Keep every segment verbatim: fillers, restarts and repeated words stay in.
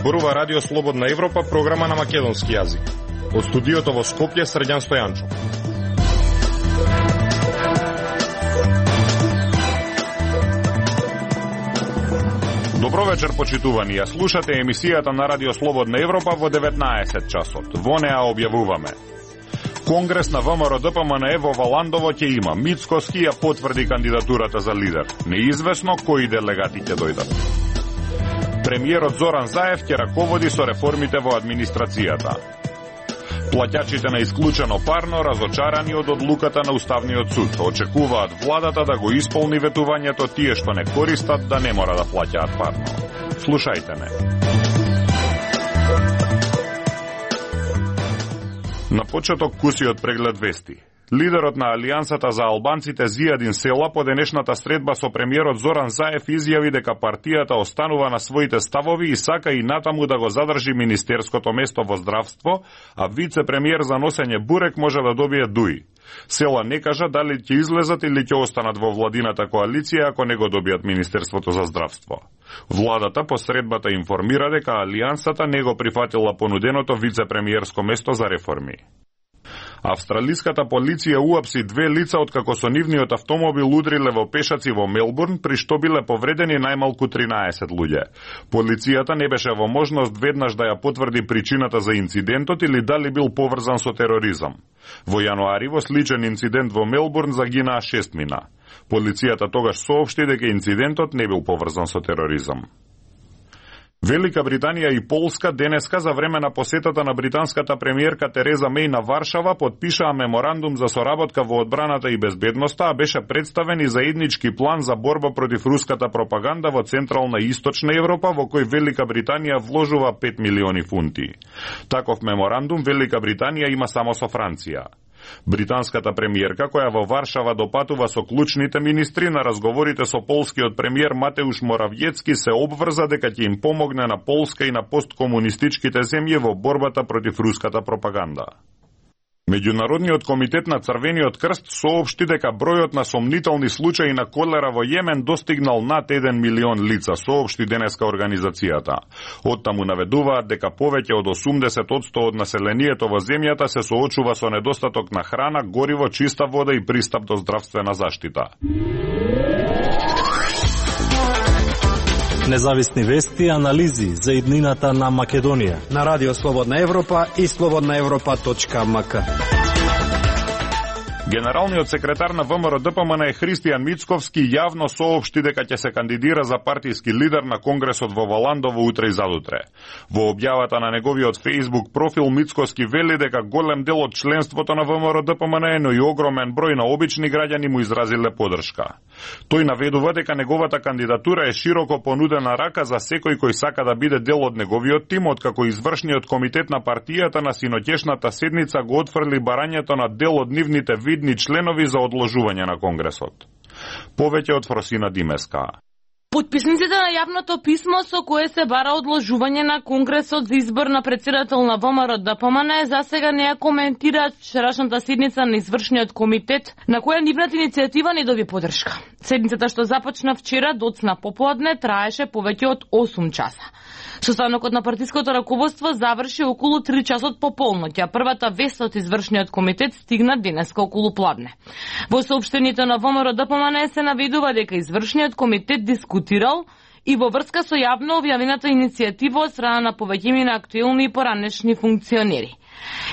зборува Радио Слободна Европа, програма на македонски јазик. Од студиото во Скопје, Срđan Стојанчо. Добро вечер, почитувани. Ја слушате емисијата на Радио Слободна Европа во деветнаесет часот. Во неа објавуваме: Конгрес на ВМРО-ДПМНЕ во Валандово ќе има. Мицкоски ја потврди кандидатурата за лидер. Неизвестно кои делегати ќе дојдат. Премиерот Зоран Заев ќе раководи со реформите во администрацијата. Плаќачите на исклучено парно разочарани од одлуката на Уставниот суд. Очекуваат владата да го исполни ветувањето тие што не користат да не мора да плаќаат парно. Слушајте ме. На почеток кусиот преглед вести. Лидерот на Алијансата за албанците Зијадин Села по денешната средба со премиерот Зоран Заев изјави дека партијата останува на своите ставови и сака и натаму да го задржи министерското место во здравство, а вице-премиер за носење бурек може да добие дуи. Села не кажа дали ќе излезат или ќе останат во владината коалиција ако не го добијат Министерството за здравство. Владата по средбата информира дека Алијансата не го прифатила понуденото вице-премиерско место за реформи. Австралиската полиција уапси две лица откако со нивниот автомобил удриле во пешаци во Мелбурн, при што биле повредени најмалку тринаесет луѓе. Полицијата не беше во можност веднаш да ја потврди причината за инцидентот или дали бил поврзан со тероризам. Во јануари во сличен инцидент во Мелбурн загинаа шестмина. Полицијата тогаш соопшти дека инцидентот не бил поврзан со тероризам. Велика Британија и Полска денеска за време на посетата на британската премиерка Тереза Меј на Варшава подпишаа меморандум за соработка во одбраната и безбедноста, а беше представен и заеднички план за борба против руската пропаганда во Централна и Источна Европа, во кој Велика Британија вложува пет милиони фунти. Таков меморандум Велика Британија има само со Франција. Британската премиерка, која во Варшава допатува со клучните министри, на разговорите со полскиот премиер Матеуш Моравјецки се обврза дека ќе им помогне на Полска и на посткомунистичките земји во борбата против руската пропаганда. Меѓународниот комитет на Црвениот крст соопшти дека бројот на сомнителни случаи на колера во Јемен достигнал над еден милион лица, соопшти денеска организацијата. Оттаму наведуваат дека повеќе од осумдесет одсто од населението во земјата се соочува со недостаток на храна, гориво, чиста вода и пристап до здравствена заштита. Независни вести и анализи за иднината на Македонија на Радио Слободна Европа и слободна европа точка ем ка. Генералниот секретар на ВМРО-ДПМНЕ Христијан Мицковски јавно соопшти дека ќе се кандидира за партиски лидер на Конгресот во Валандово утре и задутре. Во објавата на неговиот Facebook профил Мицковски вели дека голем дел од членството на ВМРО-ДПМНЕ, но и огромен број на обични граѓани му изразиле подршка. Тој наведува дека неговата кандидатура е широко понудена рака за секој кој сака да биде дел од неговиот тим, откако извршниот комитет на партијата на синоќешната седница го отфрли барањето на дел од нивните видни членови за одложување на Конгресот. Повеќе од Фросина Димеска. Подписниците на јавното писмо со кое се бара одложување на Конгресот за избор на претседател на ВМРО-ДПМНЕ за сега не ја коментираат вчерашната седница на извршниот комитет, на која нивната иницијатива не доби поддршка. Седницата што започна вчера доцна попладне траеше повеќе од осум часа. Состанокот на партиското раководство заврши околу три часот пополноќ, а првата вест од извршниот комитет стигна денеска околу пладне. Во соопштението на ВМРО-ДПМНЕ се наведува дека извршниот комитет дискутирал и во врска со јавно објавената иницијатива од страна на повеќина на актуелни и поранешни функционери.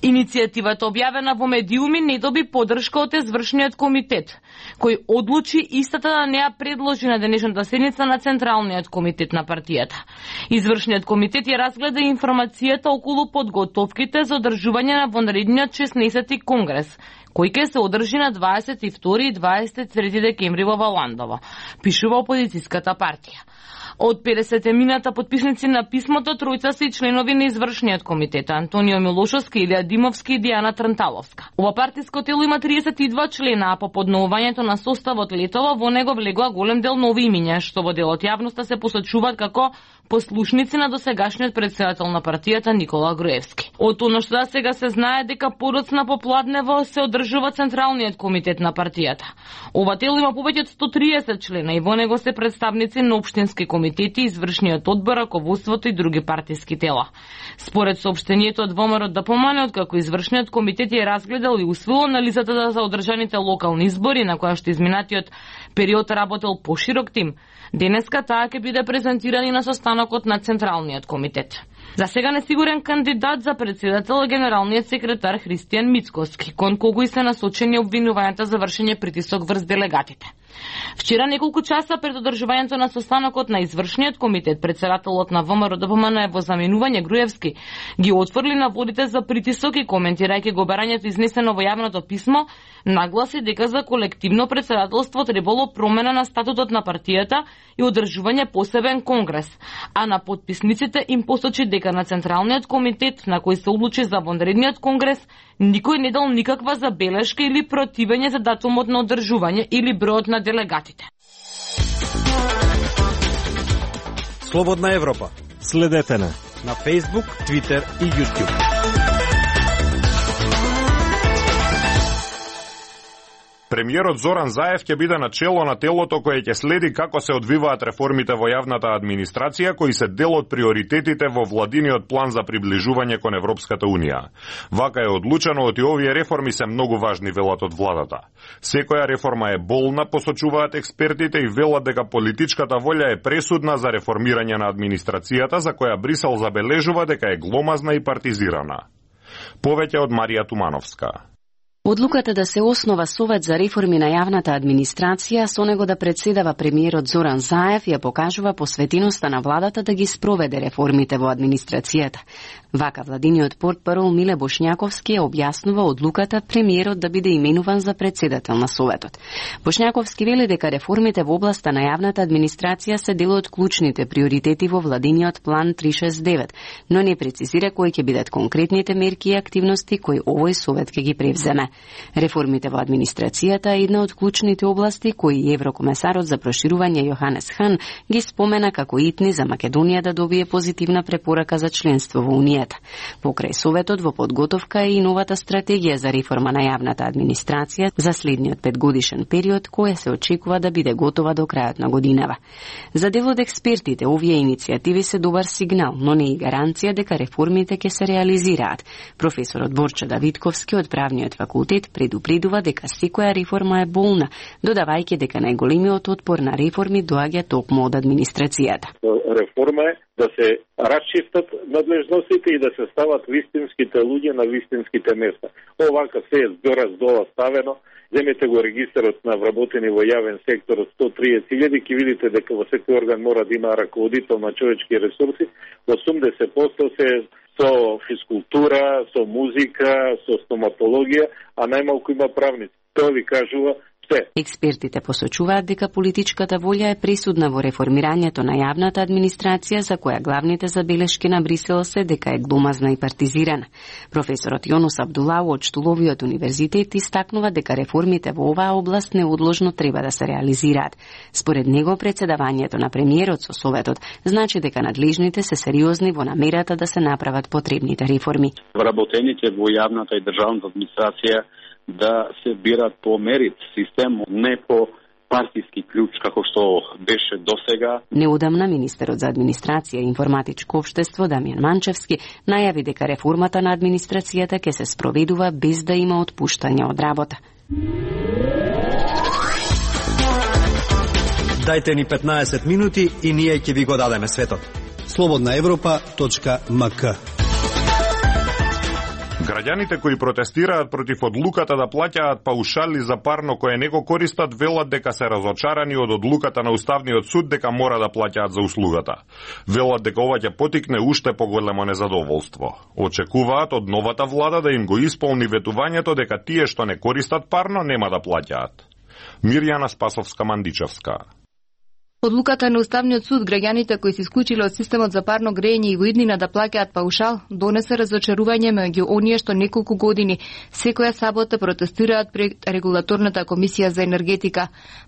Иницијативата објавена во медиуми не доби поддршка од извршниот комитет, кој одлучи истата да не ја предложи на денешната седница на Централниот комитет на партијата. Извршниот комитет ја разгледа информацијата околу подготовките за одржување на вонредниот шеснаесети конгрес, кој ќе се одржи на дваесет и втори и дваесет и трети декември во Валандово, пишува опозицијската партија. Од педесет мината подписници на писмото, тројца се и членови на извршниот комитет: Антонио Милошовски, Илија Димовски и Дијана Транталовска. Ова партиско тело има триесет и два члена, а по подновувањето на составот летова во него влегоа голем дел нови имиња, што во делот јавноста се посочуваат како послушници на досегашниот претседател на партијата Никола Груевски. Од оно што да сега се знае дека подоцна попладнево се одржува Централниот комитет на партијата. Ова тело има повеќе од сто триесет члена и во него се представници на општински комитети, извршниот одбор, раководството и други партиски тела. Според соопштението од ВМРО ДПМН, откако извршниот комитет е разгледал и усвоил анализата за одржаните локални избори, на која што изминатиот период работел поширок тим, денеска таа ќе биде презентирана на состанокот на Централниот комитет. За сега несигурен кандидат за председател е генералниот секретар Христијан Мицкоски, кон кого и се насочени обвинувањата за вршење притисок врз делегатите. Вчера неколку часа пред одржувањето на состанокот на извршниот комитет, председателот на ВМРО ДПМН во заменување Груевски ги отфрли наводите за притисок и коментирајќи го барањето изнесено во јавното писмо, нагласи дека за колективно председателство требало промена на статутот на партијата и одржување посебен конгрес, а на потписниците им посочи дека на Централниот комитет, на кој се одлучи за вонредниот конгрес, никој не дал никаква забелешка или противење за датумот на одржување или бројот на делегатите. Слободна Европа. Следете на на Facebook, Twitter и YouTube. Премиерот Зоран Заев ќе биде на чело на телото кое ќе следи како се одвиваат реформите во јавната администрација, кои се дел од приоритетите во владиниот план за приближување кон Европската Унија. Вака е одлучено оти овие реформи се многу важни, велат од владата. Секоја реформа е болна, посочуваат експертите и велат дека политичката волја е пресудна за реформирање на администрацијата, за која Брисел забележува дека е гломазна и партизирана. Повеќе од Марија Тумановска. Одлуката да се основа Совет за реформи на јавната администрација, со него да председава премиерот Зоран Заев, ја покажува посветеноста на владата да ги спроведе реформите во администрацијата. Вака владиниот портпарол Миле Бошњаковски ја објаснува одлуката премиерот да биде именуван за председател на Советот. Бошњаковски вели дека реформите во областа на јавната администрација се дел од клучните приоритети во владиниот план триста шест девет, но не прецизира кои ќе бидат конкретните мерки и активности кои овој Совет ќе ги превземе. Реформите во администрацијата е една од клучните области кои еврокомесарот за проширување Јоханес Хан ги спомена како итни за Македонија да добие позитивна препорака за членство во Унијата. Покрај Советот во подготовка е и новата стратегија за реформа на јавната администрација за следниот петгодишен период, која се очекува да биде готова до крајот на годинава. За дел од експертите, овие иницијативи се добар сигнал, но не и гаранција дека реформите ќе се реализираат. Професорот Борчо Давидковски од правниот факултет предупредува дека секоја реформа е болна, додавајќи дека најголемиот отпор на реформи доаѓа токму од администрацијата. Реформа е да се расчистат надлежностите и да се стават вистинските луѓе на вистинските места. Овака се е згора здола ставено. Земете го регистарот на вработени во јавен сектор од сто триесет илјади, ќе видите дека во секој орган мора да има раководител на човечки ресурси. осумдесет проценти се со физкултура, со музика, со стоматологија, а најмалку има правници. Тоа ви кажува се. Експертите посочуваат дека политичката волја е пресудна во реформирањето на јавната администрација, за која главните забелешки на Брисел се дека е гломазна и партизирана. Професорот Јонус Абдулау од Штуловиот универзитет истакнува дека реформите во оваа област неодложно треба да се реализираат. Според него, председавањето на премиерот со Советот значи дека надлежните се сериозни во намерата да се направат потребните реформи. Вработените во јавната и државната администрација да се бират по мерит систем, не по партиски клjuč како што беше досега. Неодамна министерот за администрација и информатичко општество Дамјан Манчевски најави дека реформата на администрацијата ќе се спроведува без да има отпуштање од работа. Дајте ни петнаесет минути и ние ќе ви го дадеме светот. слободна европа точка ем ка. Граѓаните кои протестираат против одлуката да плаќаат паушали за парно кое не го користат, велат дека се разочарани од одлуката на Уставниот суд дека мора да плаќаат за услугата. Велат дека ова ќе потикне уште поголемо незадоволство. Очекуваат од новата влада да им го исполни ветувањето дека тие што не користат парно нема да плаќаат. Мирјана Спасовска-Мандичевска. Одлуката на Уставниот суд граѓаните кои се исклучиле од системот за парно грејење и во иднина да плаќаат паушал донесе разочарување меѓу оние што неколку години секоја сабота протестираат пред регулаторната комисија за енергетика.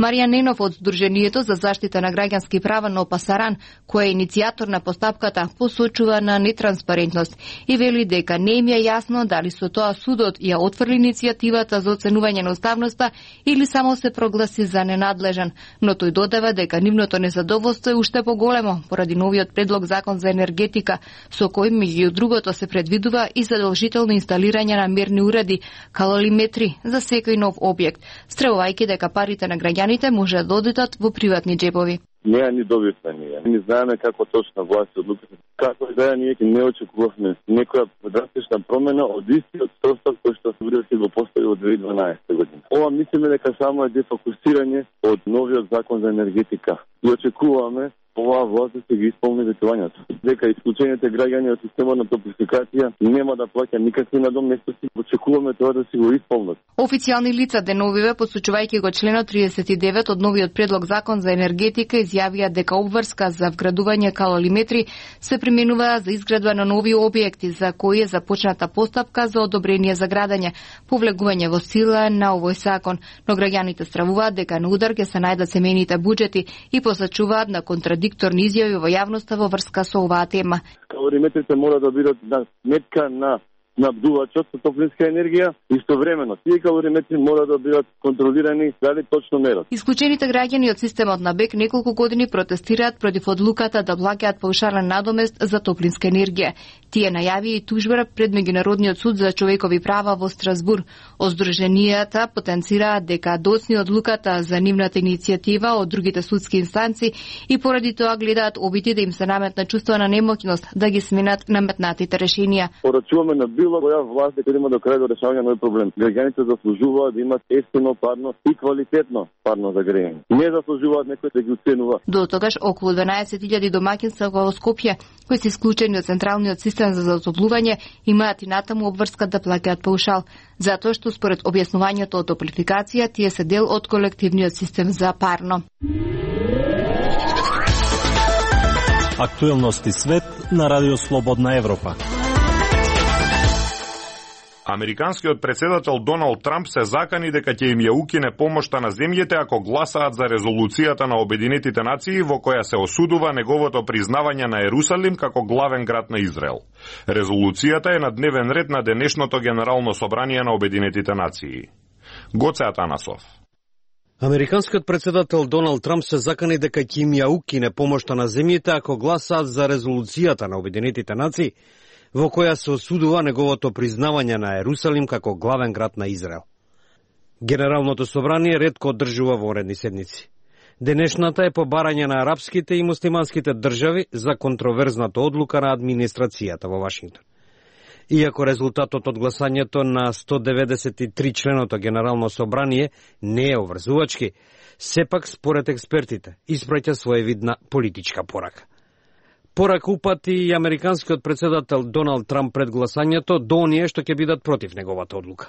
Марија Ненов од Сдруженијето за заштита на граѓански права на Опасаран, која е иницијатор на постапката, посочува на нетранспарентност и вели дека не им е јасно дали со тоа судот ја отфрли иницијативата за оценување на уставноста или само се прогласи за ненадлежен, но тој додава дека нивното незадоволство е уште поголемо поради новиот предлог закон за енергетика, со кој меѓу другото се предвидува и задолжително инсталирање на мерни уреди, калориметри за секој нов објект, стравувајќи дека парите на граѓаните може да одидат во приватни џебови. Неа ни добивме ние. Не знаеме како точно власт одлуката. Како и да е, ние не очекувавме некоја драстична промена од истиот состав кој што се го постави од две илјади и дванаесета година. Ова мислиме дека само е дефокусирање од новиот закон за енергетика. И очекуваме оваа власт да се ги исполни ветувањето. Дека исклучените граѓани од системот на топлификација нема да плаќа никакви надоместности, очекуваме тоа да си го исполнат. Официјални лица деновиве, посочувајќи го членот тридесет и девет од новиот предлог закон за енергетика, изјавија дека обврска за вградување калориметри се применува за изградба на нови објекти за кои е започната постапка за одобрение за градење, повлегување во сила на овој закон, но граѓаните стравуваат дека на удар ќе се најдат семејните буџети и посочуваат на контрадикторни изјави во јавноста во врска со оваа тема. Калориметрите мора да бидат на сметка на набдувачот со топлинска енергија, истовремено тие калориметри мора да бидат контролирани дали точно мерат. Исклучените граѓани од системот на БЕК неколку години протестираат против одлуката да плаќаат паушален надомест за топлинска енергија. Тие најави и тужба пред Меѓународниот суд за човекови права во Страсбур. Оздруженијата потенцираат дека доцни одлуката за нивната иницијатива од другите судски инстанци и поради тоа гледаат обиди да им се наметне чувство на немоќност да ги сменат наметнатите решенија. Порачуваме на било која власт дека има до крај до решавање на овој проблем. Граѓаните заслужуваат да имат ефтино парно и квалитетно парно за грејење. Не заслужуваат некој да ги уценува. До тогаш околу дванаесет илјади домаќинства во Скопје, кои се исклучени од централниот систем за затоплување, имаат и натаму обврска да плаќаат паушал, затоа што според објаснувањето од топлификација тие се дел од колективниот систем за парно. Актуелности свет на Радио Слободна Европа. Американскиот председател Доналд Трамп се закани дека ќе им ја укине помошта на земјите ако гласаат за резолуцијата на Обединетите нации во која се осудува неговото признавање на Ерусалим како главен град на Израел. Резолуцијата е на дневен ред на денешното Генерално собрание на Обединетите нации. Гоце Атанасов. Американскиот председател Доналд Трамп се закани дека ќе им ја укине помошта на земјите ако гласаат за резолуцијата на Обединетите нации во која се осудува неговото признавање на Ерусалим како главен град на Израел. Генералното собрание ретко одржува воредни седници. Денешната е по барање на арапските и муслиманските држави за контроверзната одлука на администрацијата во Вашингтон. Иако резултатот од гласањето на сто деветдесет и три членото Генерално собрание не е обврзувачки, сепак според експертите испраќа своевидна политичка порака. Порака упати и американскиот председател Доналд Трамп пред гласањето до оние што ќе бидат против неговата одлука.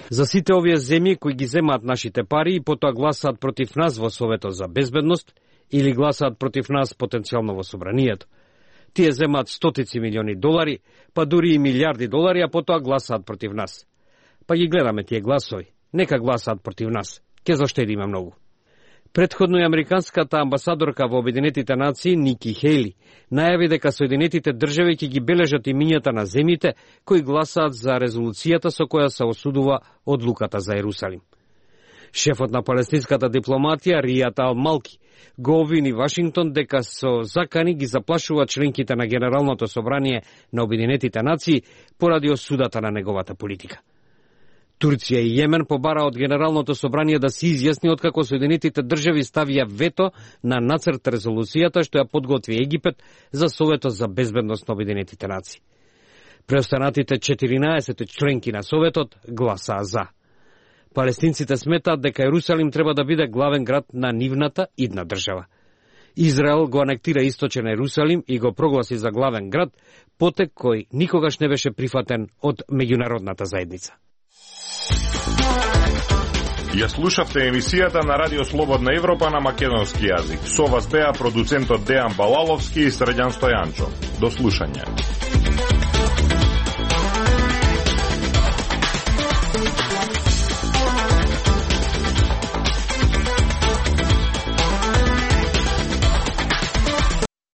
За сите овие земји кои ги земаат нашите пари и потоа гласаат против нас во Советот за безбедност или гласаат против нас потенцијално во собранието. Тие земаат стотици милиони долари, па дури и милиарди долари, а потоа гласаат против нас. Па ги гледаме тие гласови. Нека гласаат против нас. Ке заштедиме многу. Предходно и американската амбасадорка во Обединетите нации Ники Хейли најави дека Соединетите држави ќе ги бележат имињата на земјите кои гласаат за резолуцијата со која се осудува одлуката за Ерусалим. Шефот на палестинската дипломатија Ријат Ал-Малки го обвини Вашингтон дека со закани ги заплашува членките на Генералното собрание на Обединетите нации поради осудата на неговата политика. Турција и Јемен побара од Генералното собрание да се изјасни откако Соединетите држави ставија вето на нацрт резолуцијата што ја подготви Египет за Советот за безбедност на Обединетите нации. Преостанатите четиринаесет членки на Советот гласаа за. Палестинците сметаат дека Ерусалим треба да биде главен град на нивната идна држава. Израел го анектира источен Ерусалим и го прогласи за главен град, потек кој никогаш не беше прифатен од меѓународната заедница. Ја слушавте емисијата на Радио Слободна Европа на македонски јазик. Со вас беа продуцентот Дејан Балаловски и Срđan Стојанчов. До слушање.